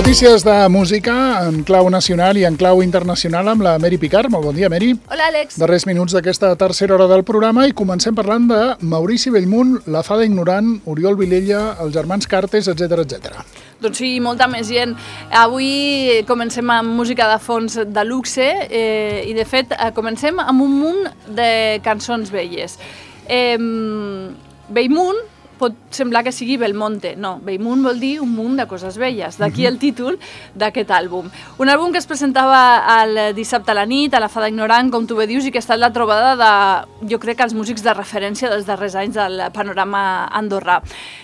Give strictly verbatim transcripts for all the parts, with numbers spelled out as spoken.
Notícies de música en clau nacional i en clau internacional amb la Mary Picard. Molt bon dia, Mary. Hola, Àlex. Darrers minuts d'aquesta tercera hora del programa i comencem parlant de Maurici Bellmunt, la Fada Ignorant, Oriol Vilella, els germans Cartes, etcètera, etcètera. Doncs sí, molta més gent. Avui comencem amb música de fons de luxe eh, i, de fet, comencem amb un munt de cançons velles. Eh, Bellmunt pot semblar que sigui Belmonte. No, Bellmunt vol dir un munt de coses velles. D'aquí el títol d'aquest àlbum. Un àlbum que es presentava el dissabte a la nit, a la Fada Ignorant, com tu bé dius, i que ha estat la trobada de, jo crec, que els músics de referència dels darrers anys del panorama andorrà.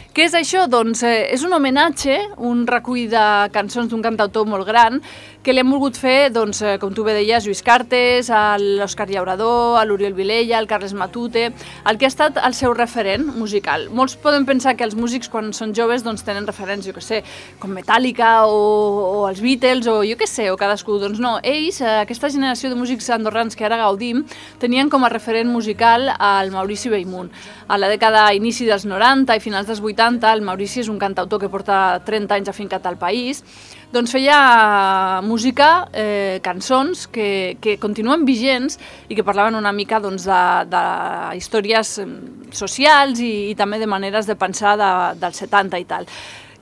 Què és això? Doncs eh, és un homenatge, un recull de cançons d'un cantautor molt gran que li hem volgut fer, doncs, eh, com tu bé deies, Lluís Cartes, a l'Òscar Llaurador, a l'Oriol Vilella, al Carles Matute, el que ha estat el seu referent musical. Molts poden pensar que els músics, quan són joves, doncs tenen referents, jo què sé, com Metallica o, o els Beatles o jo què sé, o cadascú. Doncs no, ells, eh, aquesta generació de músics andorrans que ara gaudim, tenien com a referent musical al Maurici Bellmunt. A la dècada inici dels noranta i finals dels vuitanta, el Maurici és un cantautor que porta trenta anys afincat al país, doncs feia música, eh, cançons que, que continuen vigents i que parlaven una mica doncs, de, de històries socials i, i també de maneres de pensar de, dels setanta i tal.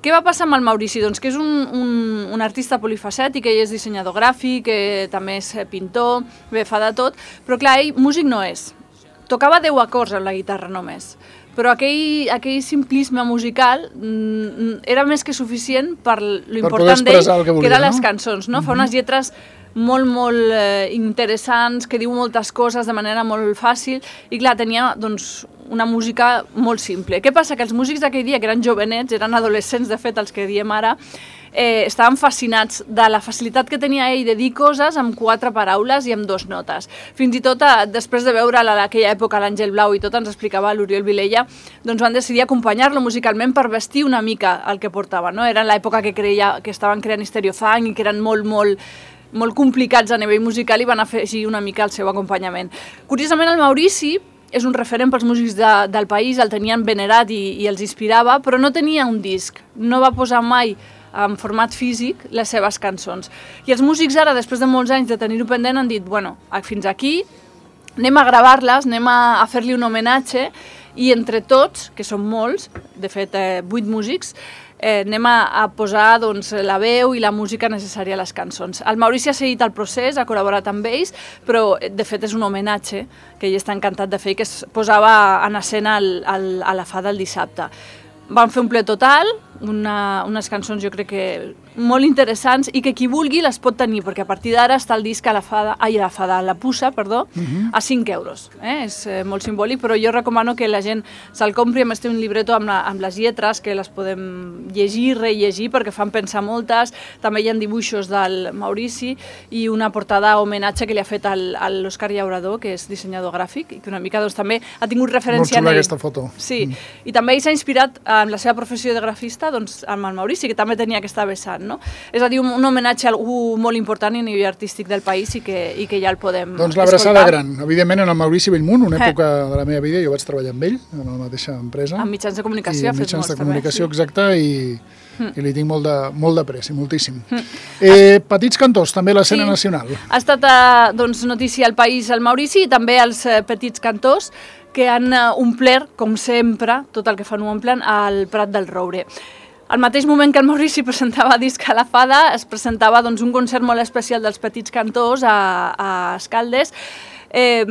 Què va passar amb el Maurici? Doncs que és un, un, un artista polifacètic, ell és dissenyador gràfic, eh, també és pintor, bé, fa de tot, però clar, ell músic no és. Tocava deu acords amb la guitarra només, però aquell, aquell simplisme musical mm, era més que suficient per l'important d'ell, que, que eren les cançons, no? Mm-hmm. Fa unes lletres molt, molt eh, interessants, que diu moltes coses de manera molt fàcil, i clar, tenia doncs, una música molt simple. Què passa? Que els músics d'aquell dia, que eren jovenets, eren adolescents, de fet, els que diem ara, eh, estaven fascinats de la facilitat que tenia ell de dir coses amb quatre paraules i amb dos notes. Fins i tot, eh, després de veure a aquella època l'Àngel Blau i tot, ens explicava l'Oriol Vilella, doncs van decidir acompanyar-lo musicalment per vestir una mica el que portava, no? Era l'època que, creia, que estaven creant Stereofunk i que eren molt, molt, molt complicats a nivell musical i van afegir una mica el seu acompanyament. Curiosament, el Maurici és un referent pels músics de, del país, el tenien venerat i, i els inspirava, però no tenia un disc, no va posar mai en format físic les seves cançons. I els músics ara, després de molts anys de tenir-ho pendent, han dit, bueno, fins aquí, anem a gravar-les, anem a, a fer-li un homenatge, i entre tots, que són molts, de fet, eh, vuit músics, eh, anem a, a posar doncs, la veu i la música necessària a les cançons. El Maurici ha seguit el procés, ha col·laborat amb ells, però de fet és un homenatge que ell està encantat de fer i que es posava en escena al, al, a la Fada el dissabte. Van fer un ple total, una, unes cançons jo crec que molt interessants i que qui vulgui les pot tenir, perquè a partir d'ara està el disc a la Fada, ai, a la Fada, a la Puça, perdó, uh-huh. a cinc euros. Eh? És eh, molt simbòlic, però jo recomano que la gent se'l compri, a més té un libreto amb, la, amb les lletres, que les podem llegir, rellegir, perquè fan pensar moltes. També hi ha dibuixos del Maurici i una portada a homenatge que li ha fet al, a l'Òscar Llaurador, que és dissenyador gràfic, i que una mica doncs, també ha tingut referència en ell. Molt xula aquesta foto. Sí, mm. i també ell s'ha inspirat en la seva professió de grafista doncs, amb el Maurici, que també tenia aquesta vessant, no? És a dir, un, un homenatge a algú molt important a nivell artístic del país i que, i que ja el podem doncs l'abraçada gran, evidentment, en el Maurici Bellmunt, una eh. època de la meva vida, jo vaig treballar amb ell, en la mateixa empresa. Amb mitjans de comunicació. I amb mitjans de comunicació, també, sí. Exacte, i, mm. i li tinc molt de, molt de pressa, moltíssim. Mm. Eh, petits cantors, també a l'escena sí. nacional. Ha estat eh, doncs, notícia al país el Maurici i també els eh, petits cantors que han eh, omplert, com sempre, tot el que fan ho omplen, al Prat del Roure. Al mateix moment que el Maurici presentava disc a la Fada, es presentava doncs, un concert molt especial dels petits cantors a, a Escaldes, eh,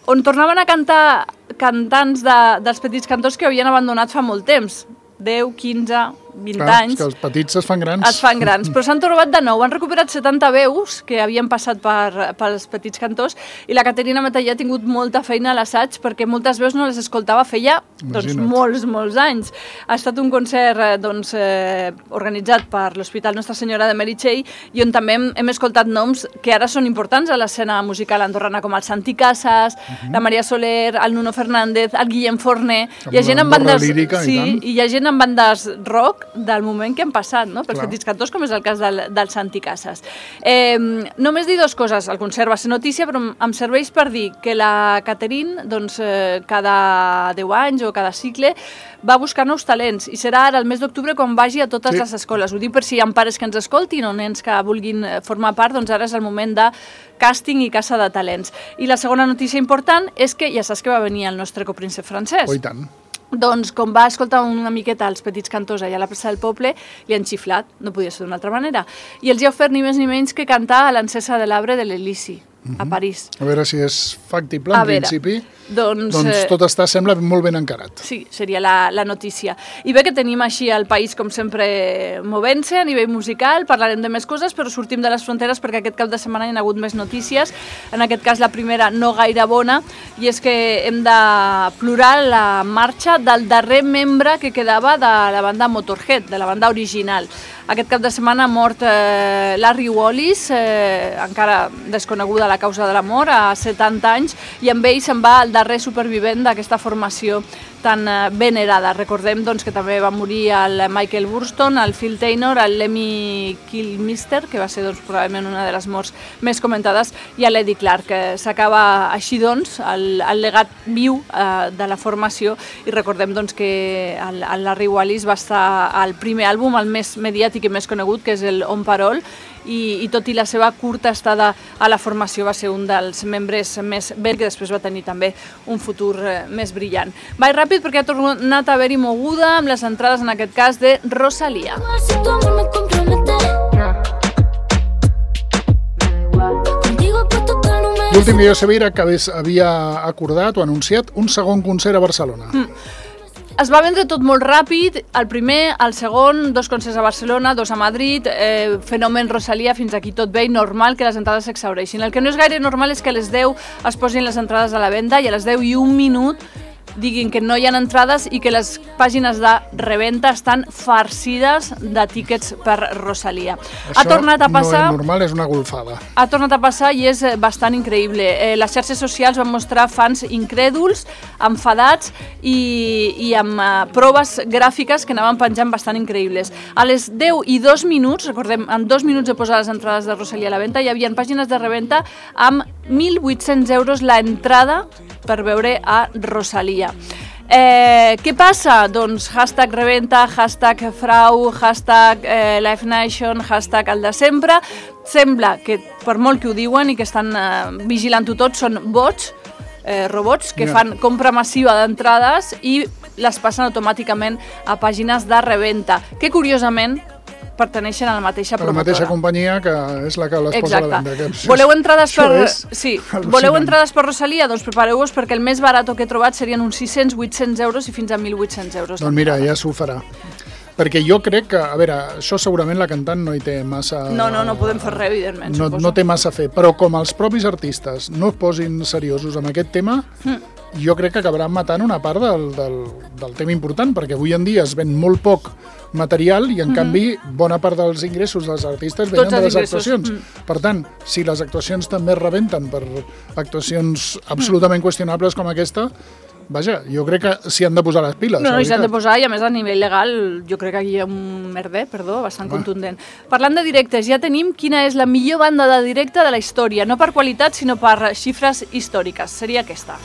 on tornaven a cantar cantants de, dels petits cantors que havien abandonat fa molt temps, deu, quinze, vint Clar, anys. Que els petits es fan grans. Es fan grans, però s'han trobat de nou. Han recuperat setanta veus que havien passat per, pels petits cantors i la Caterina Metallà ha tingut molta feina a l'assaig perquè moltes veus no les escoltava feia doncs, molts, molts anys. Ha estat un concert doncs, eh, organitzat per l'Hospital Nostra Senyora de Meritxell i on també hem, hem escoltat noms que ara són importants a l'escena musical andorrana com el Santi Casas, uh-huh. la Maria Soler, el Nuno Fernández, el Guillem Forner. Hi ha gent amb bandes, lírica, sí, i, i hi ha gent amb bandes rock xoc del moment que han passat, no? Pels petits cantors, com és el cas del, del Santi Casas. Eh, només dir dues coses. El concert va ser notícia, però em serveix per dir que la Catherine, doncs, eh, cada deu anys o cada cicle, va buscar nous talents i serà ara el mes d'octubre quan vagi a totes sí. les escoles. Ho dic per si hi ha pares que ens escoltin o nens que vulguin formar part, doncs ara és el moment de càsting i caça de talents. I la segona notícia important és que ja saps que va venir el nostre copríncep francès. Oh, i tant. Doncs, com va escoltar una miqueta els petits cantors allà a la plaça del Poble, li han xiflat, no podia ser d'una altra manera. I els hi ha ofert ni més ni menys que cantar a l'encesa de l'arbre de l'Elisi, a París. A veure si és factible, en principi. Doncs, doncs tot està, sembla, molt ben encarat. Sí, seria la, la notícia. I bé que tenim així el país, com sempre, movent-se a nivell musical, parlarem de més coses, però sortim de les fronteres perquè aquest cap de setmana hi ha hagut més notícies. En aquest cas, la primera no gaire bona, i és que hem de plorar la marxa del darrer membre que quedava de la banda Motorhead, de la banda original. Aquest cap de setmana ha mort eh, Larry Wallis, eh, encara desconeguda la causa de la mort, a setanta anys, i amb ell se'n va el darrer supervivent d'aquesta formació tan eh, venerada. Recordem doncs, que també va morir el Michael Burston, el Phil Taylor, el Lemmy Kilmister, que va ser doncs, probablement una de les morts més comentades, i l'Eddie Clark, que s'acaba així doncs, el, el legat viu eh, de la formació, i recordem doncs, que el, el Larry Wallis va estar al primer àlbum, el més mediàtic i més conegut, que és el On Parole, i, i tot i la seva curta estada a la formació va ser un dels membres més ben, que després va tenir també un futur eh, més brillant. Vaig ràpid perquè ha tornat a haver-hi moguda amb les entrades, en aquest cas, de Rosalía. L'últim dia jo sabia que havia acordat o anunciat un segon concert a Barcelona. Mm. Es va vendre tot molt ràpid, el primer, el segon, dos concerts a Barcelona, dos a Madrid, eh, fenomen Rosalía, fins aquí tot bé, i normal que les entrades s'exhaureixin. El que no és gaire normal és que a les deu es posin les entrades a la venda i a les deu i un minut diguin que no hi ha entrades i que les pàgines de reventa estan farcides de tíquets per Rosalía. Això ha tornat a passar, no és normal, és una golfada. Ha tornat a passar i és bastant increïble. Eh, les xarxes socials van mostrar fans incrèduls, enfadats i, i amb uh, proves gràfiques que anaven penjant bastant increïbles. A les deu i dos minuts, recordem, en dos minuts de posar les entrades de Rosalía a la venda, hi havia pàgines de reventa amb mil vuit-cents euros la entrada per veure a Rosalía. Eh, què passa? Doncs hashtag reventa, hashtag frau, hashtag eh, Live Nation, hashtag el de sempre. Sembla que, per molt que ho diuen i que estan eh, vigilant-ho tot, són bots, eh, robots que fan compra massiva d'entrades i les passen automàticament a pàgines de reventa, que curiosament perteneixen a la mateixa promotora. A la mateixa companyia que és la que les posa a la venda. Exacte. Voleu entrades per... Sí. Voleu entrades per Rosalía? Doncs prepareu-vos perquè el més barat que he trobat serien uns sis-cents, vuit-cents euros i fins a mil vuit-cents euros. Doncs mira, ja s'ho farà. Perquè jo crec que, a veure, això segurament la cantant no hi té massa... No, no, no podem fer res, evidentment, no, suposo. No té massa a fer, però com els propis artistes no es posin seriosos amb aquest tema, mm. jo crec que acabaran matant una part del, del, del tema important, perquè avui en dia es ven molt poc material i, en mm-hmm. canvi, bona part dels ingressos dels artistes venen de les ingressos. actuacions. Mm. Per tant, si les actuacions també es rebenten per actuacions absolutament mm. qüestionables com aquesta, vaja, jo crec que s'hi han de posar les piles. No, no, s'hi han de posar i a més a nivell legal jo crec que aquí hi ha un merder, perdó, bastant ah. contundent. Parlant de directes, ja tenim quina és la millor banda de directe de la història, no per qualitat sinó per xifres històriques. Seria aquesta.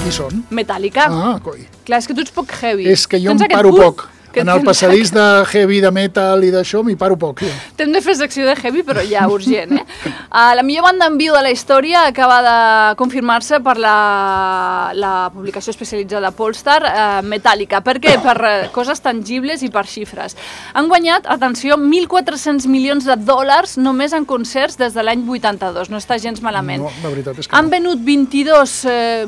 Qui són? Metallica. Ah, coi. Clar, és que tu ets poc heavy. És que jo em paro poc. En el passadís de heavy, de metal i d'això m'hi paro poc. Ja. T'hem de fer secció de heavy, però ja urgent, eh? Uh, la millor banda en viu de la història acaba de confirmar-se per la, la publicació especialitzada Polestar, uh, Metallica. Per què? Per uh, coses tangibles i per xifres. Han guanyat, atenció, mil quatre-cents milions de dòlars només en concerts des de l'any vuitanta-dos. No està gens malament. No, la veritat és que Han venut vint-i-dos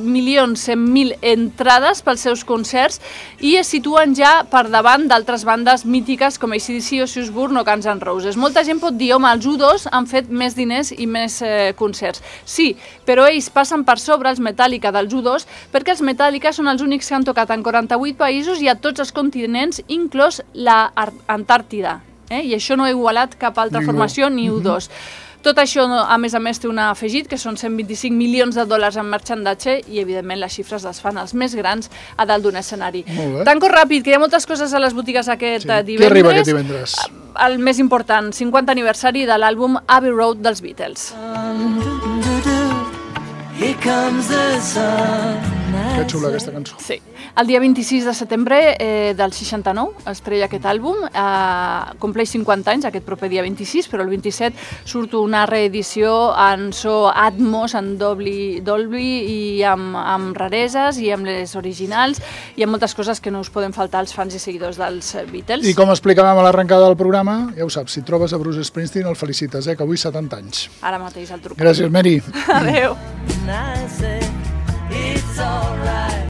milions cent mil entrades pels seus concerts i es situen ja per davant d'altres bandes mítiques com A C D C, Ozzy Osbourne o Guns N' Roses. Molta gent pot dir, home, els U dos han fet més diners i més eh, concerts. Sí, però ells passen per sobre els Metallica dels U dos perquè els Metallica són els únics que han tocat en quaranta-vuit països i a tots els continents, inclòs la Antàrtida. Eh? I això no ha igualat cap altra Ningú. formació ni U dos. Tot això, a més a més, té un afegit, que són cent vint-i-cinc milions de dòlars en marxandatge i, evidentment, les xifres les fan els més grans a dalt d'un escenari. Tanco ràpid, que hi ha moltes coses a les botigues aquest sí. divendres. Què arriba aquest divendres? El més important, cinquanta aniversari de l'àlbum Abbey Road dels Beatles. Here comes the sun. Que xula aquesta cançó. Sí. El dia vint-i-sis de setembre eh, del seixanta-nou es treia aquest àlbum, eh, compleix cinquanta anys aquest proper dia vint-i-sis, però el vint-i-set surt una reedició en so Atmos, en Dolby, Dolby i amb, amb rareses i amb les originals i amb moltes coses que no us poden faltar als fans i seguidors dels Beatles. I com explicàvem a l'arrencada del programa, ja ho saps, si trobes a Bruce Springsteen el felicites, eh, que avui setanta anys. Ara mateix el truco. Gràcies, Mary. Adéu. And I say, it's